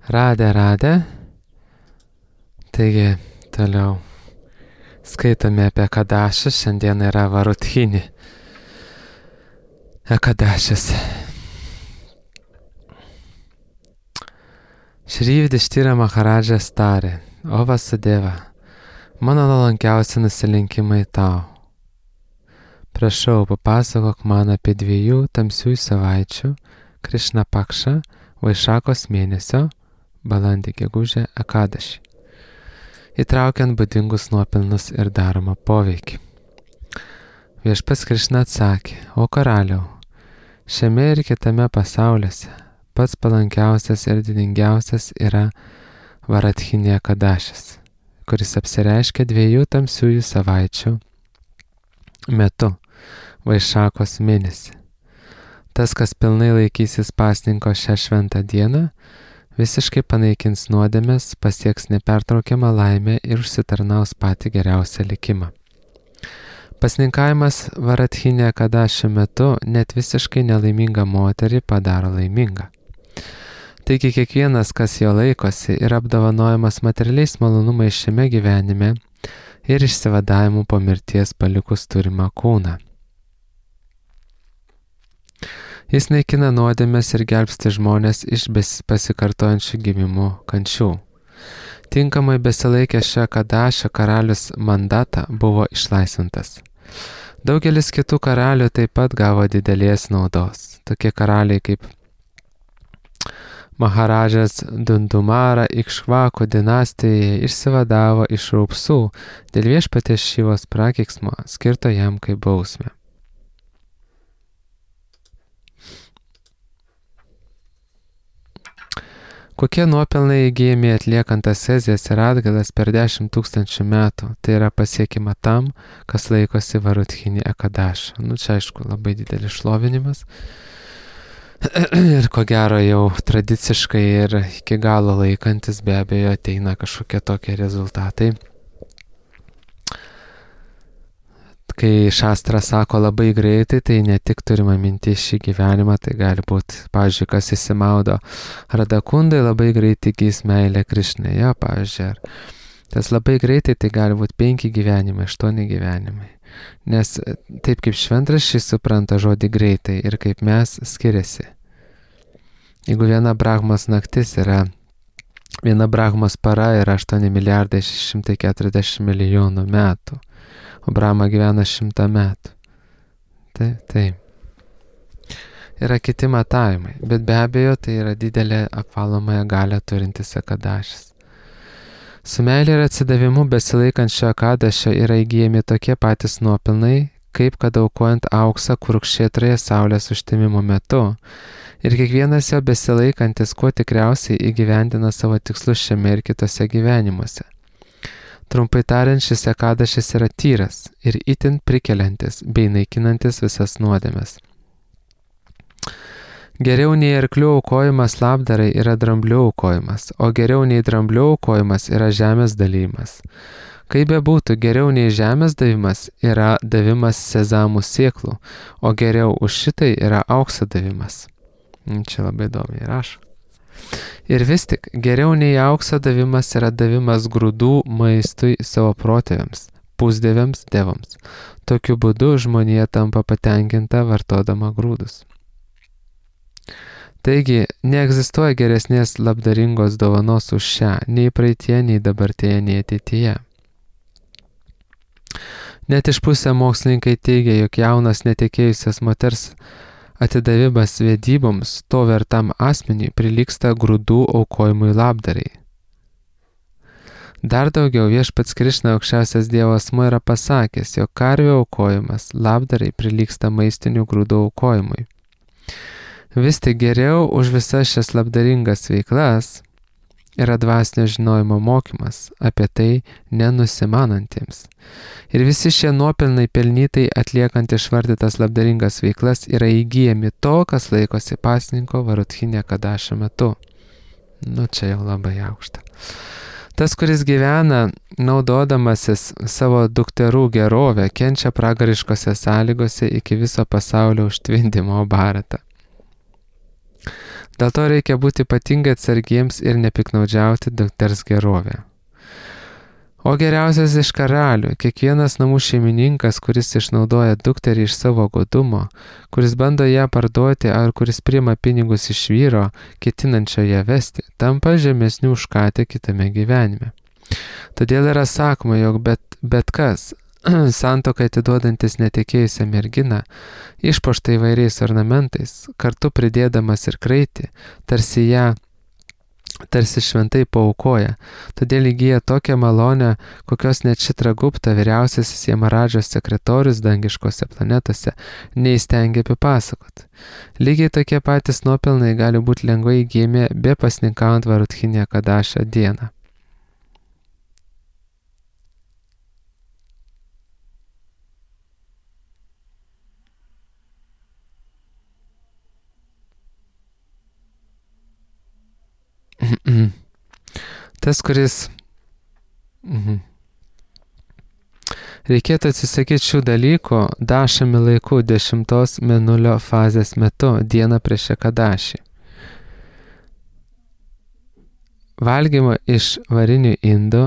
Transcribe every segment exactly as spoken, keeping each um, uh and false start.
Radę, radę. Taigi, toliau skaitome apie Ekadašį. Šiandien yra Varuthinį Ekadašis. Šri Yudhishthira Maharadžas tarė: O Vasudeva, mano nuolankiausi nusilinkimai tau. Prašau, papasakok man apie dviejų tamsiųjų savaičių Krišna Pakša Vaišakos mėnesio balandį gegužę Ekadašį, įtraukiant būdingus nuopelnus ir daromą poveikį. Viešpats Krišna atsakė: O karaliau, šiame ir kitame pasauliuose pats palankiausias ir didingiausias yra Varathinį Ekadašis, kuris apsireiškia dviejų tamsiųjų savaičių metu Vaišakos mėnesį. Tas, kas pilnai laikysis pasninko šią šventą dieną, visiškai panaikins nuodėmes, pasieks nepertraukiamą laimę ir užsitarnaus patį geriausią likimą. Pasninkavimas Varathinį Ekadašio metu net visiškai nelaimingą moterį padaro laimingą. Taigi kiekvienas, kas jo laikosi, yra apdovanojamas materialiais malonumais šiame gyvenime ir išsivadavimu po mirties palikus turimą kūną. Jis naikina nuodėmes ir gelbsti žmonės iš pasikartojančių gimimų kančių. Tinkamai besilaikęs šio Ekadašio karalius Mandata buvo išlaisvintas. Daugelis kitų karalių taip pat gavo didelės naudos. Tokie karaliai kaip Maharadžas Dundumara Ikšvakų dinastijoje išsivadavo iš raupsų dėl viešpaties Šivos prakeiksmo, skirto jam kaip bausmė. Kokie nuopelnai įgyjami atliekant asezijas ir atgailas per dešimt tūkstančių metų, tai yra pasiekima tam, kas laikosi Varuthinį Ekadašą. Nu, čia aišku, labai didelis šlovinimas. Ir ko gero jau tradiciškai ir iki galo laikantis be abejo ateina kažkokie tokie rezultatai. Kai šastra sako labai greitai, tai ne tik turima minti šį gyvenimą, tai gali būti, pavyzdžiui, kas įsimaudo Radakundai, labai greitai įgys meilę Krišnai, jo, pavyzdžiui, ar tas labai greitai, tai gali būti penki gyvenimai, aštuoni gyvenimai. Nes taip kaip šventraščiai supranta žodį greitai ir kaip mes skiriasi. Jeigu viena Brahmos naktis yra, viena Brahmos para yra aštuoni milijardai šeši šimtai keturiasdešimt milijonų metų, o Brahma gyvena šimtą metų. Taip, taip. Yra kiti matavimai, bet be abejo tai yra didelė apvalomąją galią turintis Ekadašis. Su meilė ir atsidavimu besilaikant šio Ekadašio yra įgyjami tokie patys nuopelnai, kaip kad aukojant auksą Kurukšetroje saulės užtemimo metu, ir kiekvienas jo besilaikantis kuo tikriausiai įgyvendina savo tikslus šiame ir kitose gyvenimuose. Trumpai tariant, šis Ekadašis yra tyras ir itin prikeliantis bei naikinantis visas nuodėmes. Geriau nei arklių aukojimas labdarai yra dramblių aukojimas, o geriau nei dramblių aukojimas yra žemės dalymas. Kaip bebūtų, geriau nei žemės davimas yra davimas sezamų sėklų, o geriau už šitai yra aukso davimas. Čia labai įdomiai rašo. Ir vis tik, geriau nei aukso davimas yra davimas grūdų maistui savo protėviams, pusdieviams, dievams. Tokiu būdu žmonija tampa patenkinta vartodama grūdus. Taigi, neegzistuoja geresnės labdaringos dovanos už šią, nei praeitie, nei dabartėje, nei ateityje. Net iš pusę mokslininkai teigia, jog jaunas netekėjusias moters atidavimas vedyboms to vertam asmeniui prilygsta grūdų aukojimui labdarai. Dar daugiau viešpats Krišna aukščiausias Dievo asmuo yra pasakęs, jog karvių aukojimas labdarai prilygsta maistinių grūdų aukojimui. Vis tik geriau už visas šias labdaringas veiklas yra dvasinio žinojimo mokymas apie tai nenusimanantiems. Ir visi šie nuopelnai pelnytai atliekant išvardytas labdaringas veiklas yra įgyjami to, kas laikosi pasninko Varuthinį Ekadašio metu. Nu, čia jau labai aukšta. Tas, kuris gyvena naudodamasis savo dukterų gerovę, kenčia pragariškose sąlygose iki viso pasaulio užtvindimo Bharatą. Dėl to reikia būti ypatingai atsargiems ir nepiknaudžiauti dukters gerovę. O geriausias iš karalių, kiekvienas namų šeimininkas, kuris išnaudoja dukterį iš savo godumo, kuris bando ją parduoti ar kuris priima pinigus iš vyro, ketinančio ją vesti, tampa žemesnių už katę kitame gyvenime. Todėl yra sakoma, jog bet, bet kas, santuoką atiduodantis netekėjusią merginą, išpuoštą įvairiais ornamentais, kartu pridėdamas ir kraitį, tarsi ją tarsi šventai paaukoja, todėl įgyja tokią malonę, kokios net Čitragupta, vyriausiasis Jamaradžos sekretorius dangiškose planetose, neįstengia apipasakoti. Lygiai tokie patys nuopelnai gali būti lengvai įgyjami be pasninkaujant Varutchinė Kadašio dieną. Tas, kuris mhm. reikėtų atsisakyti šių dalykų dašami laiku dešimtos mėnulio fazės metu, dieną prieš Ekadašį. Valgymo iš varinių indų,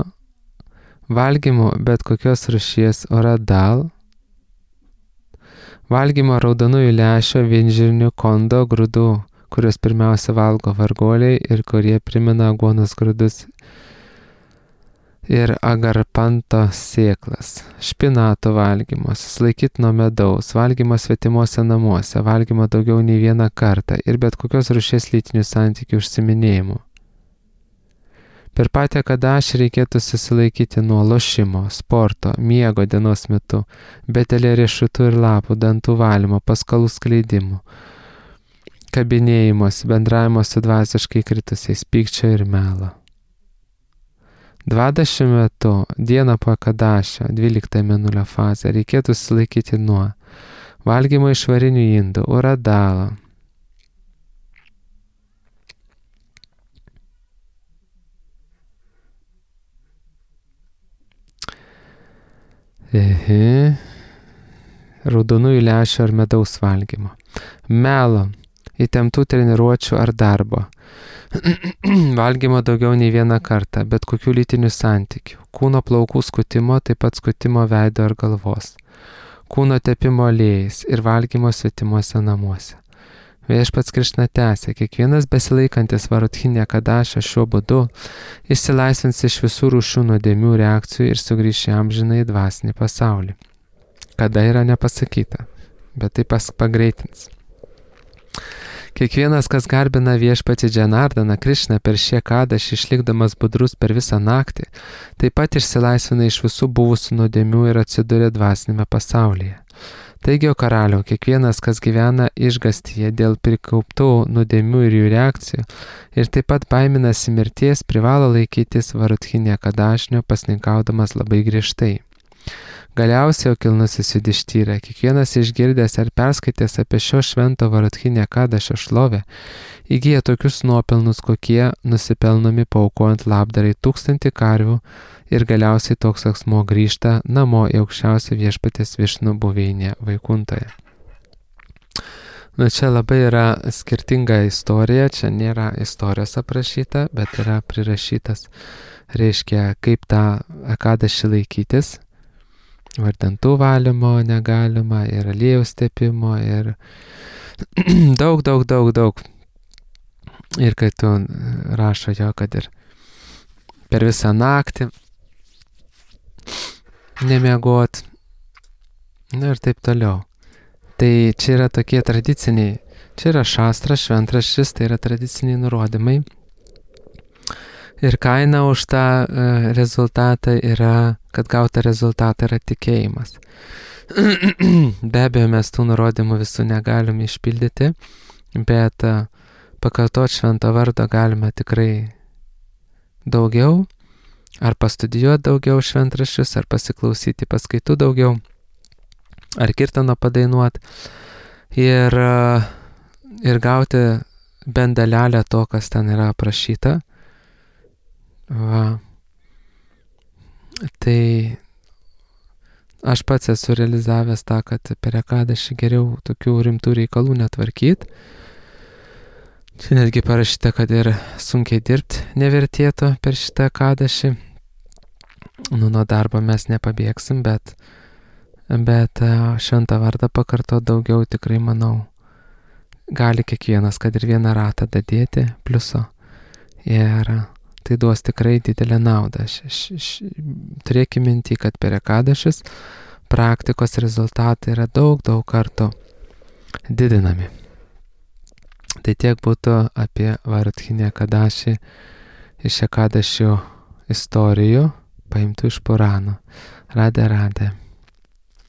valgymo bet kokios rūšies oradal, valgymo raudonųjų lęšio, vinžirnių, kondo, grūdų, kurios pirmiausia valgo varguoliai ir kurie primena aguonos grūdus ir agarpanto sėklas, špinato valgymo, susilaikyti nuo medaus, valgymo svetimuose namuose, valgymo daugiau nei vieną kartą ir bet kokios rūšies lytinių santykių užsiminėjimų. Per patį Ekadašį reikėtų susilaikyti nuo lošimo, sporto, miego dienos metu, betelė riešutų ir lapų, dantų valymo, paskalų skleidimų, kabinėjimus, bendravimo su dvasiškai kritusiais, pykčio ir melo. Dvadašių metų, dieną po Ekadašio, dvyliktą mėnulio fazę, reikėtų susilaikyti nuo valgymo iš varinių indų, uradalo, ehe, raudonųjų lęšių ar medaus valgymo, melo, įtemptų treniruočių ar darbo, valgymo daugiau nei vieną kartą, bet kokių lytinių santykių, kūno plaukų skutimo, taip pat skutimo veido ar galvos, kūno tepimo aliejais ir valgymo svetimuose namuose. Viešpats Krišna tęsė, kiekvienas besilaikantis Varutchinė Kadašio šiuo būdu išsilaisvins iš visų rūšių nuodėmių reakcijų ir sugrįš į amžinąjį dvasinį pasaulį. Kada yra nepasakyta, bet tai pas pagreitins. Kiekvienas, kas garbina viešpatį Džanardaną Krišną per šį Ekadašį išlikdamas budrus per visą naktį, taip pat išsilaisvina iš visų buvusių nuodėmių ir atsiduria dvasinėme pasaulyje. Taigi, o karaliau, kiekvienas, kas gyvena išgastyje dėl prikauptų nuodėmių ir jų reakcijų ir taip pat baiminasi mirties, privalo laikytis Varutchinė Kadašnio pasninkaudamas labai griežtai. Galiausiai, o kilnusis Judištyra, kiekvienas išgirdęs ar perskaitęs apie šio švento Varutchinė Kadašio šlovę, įgyja tokius nuopelnus, kokie nusipelnomi paaukojant labdarai tūkstantį karvių ir galiausiai toks asmuo grįžta namo į aukščiausią viešpatės Višnų buveinę Vaikuntoje. Nu, čia labai yra skirtinga istorija, čia nėra istorijos aprašyta, bet yra prirašytas, reiškia, kaip tą Ekadašį laikytis. Vardantų valymo negalima ir aliejaus tepimo ir daug, daug, daug, daug. Ir kai tu rašo jo, kad ir per visą naktį nemiegot, nu ir taip toliau. Tai čia yra tokie tradiciniai, čia yra šastras, šventraštis, tai yra tradiciniai nurodymai. Ir kaina už tą uh, rezultatą yra, kad gauta rezultatą yra tikėjimas. Be abejo, mes tų nurodymų visų negalime išpildyti, bet uh, pakartoti švento vardo galime tikrai daugiau, ar pastudijuoti daugiau šventraščius, ar pasiklausyti paskaitų daugiau, ar kirtano padainuoti ir, uh, ir gauti bent dalelę to, kas ten yra aprašyta. Va. Tai aš pats esu realizavęs tą, kad per Ekadašį geriau tokių rimtų reikalų netvarkyti. Čia netgi parašyta, kad ir sunkiai dirbti nevertėtų per šitą kadašį. Nu, nuo darbo mes nepabėgsim, bet, bet šventą vardą pakarto daugiau tikrai manau. Gali kiekvienas, kad ir vieną ratą dadėti pliuso. Ir tai duos tikrai didelę naudą. Š, š, š, turėkime mintį, kad per ekadašius praktikos rezultatai yra daug, daug kartų didinami. Tai tiek būtų apie Vardhinę Kadašį iš ekadašių istorijų paimtų iš Puranų. Radė, radė.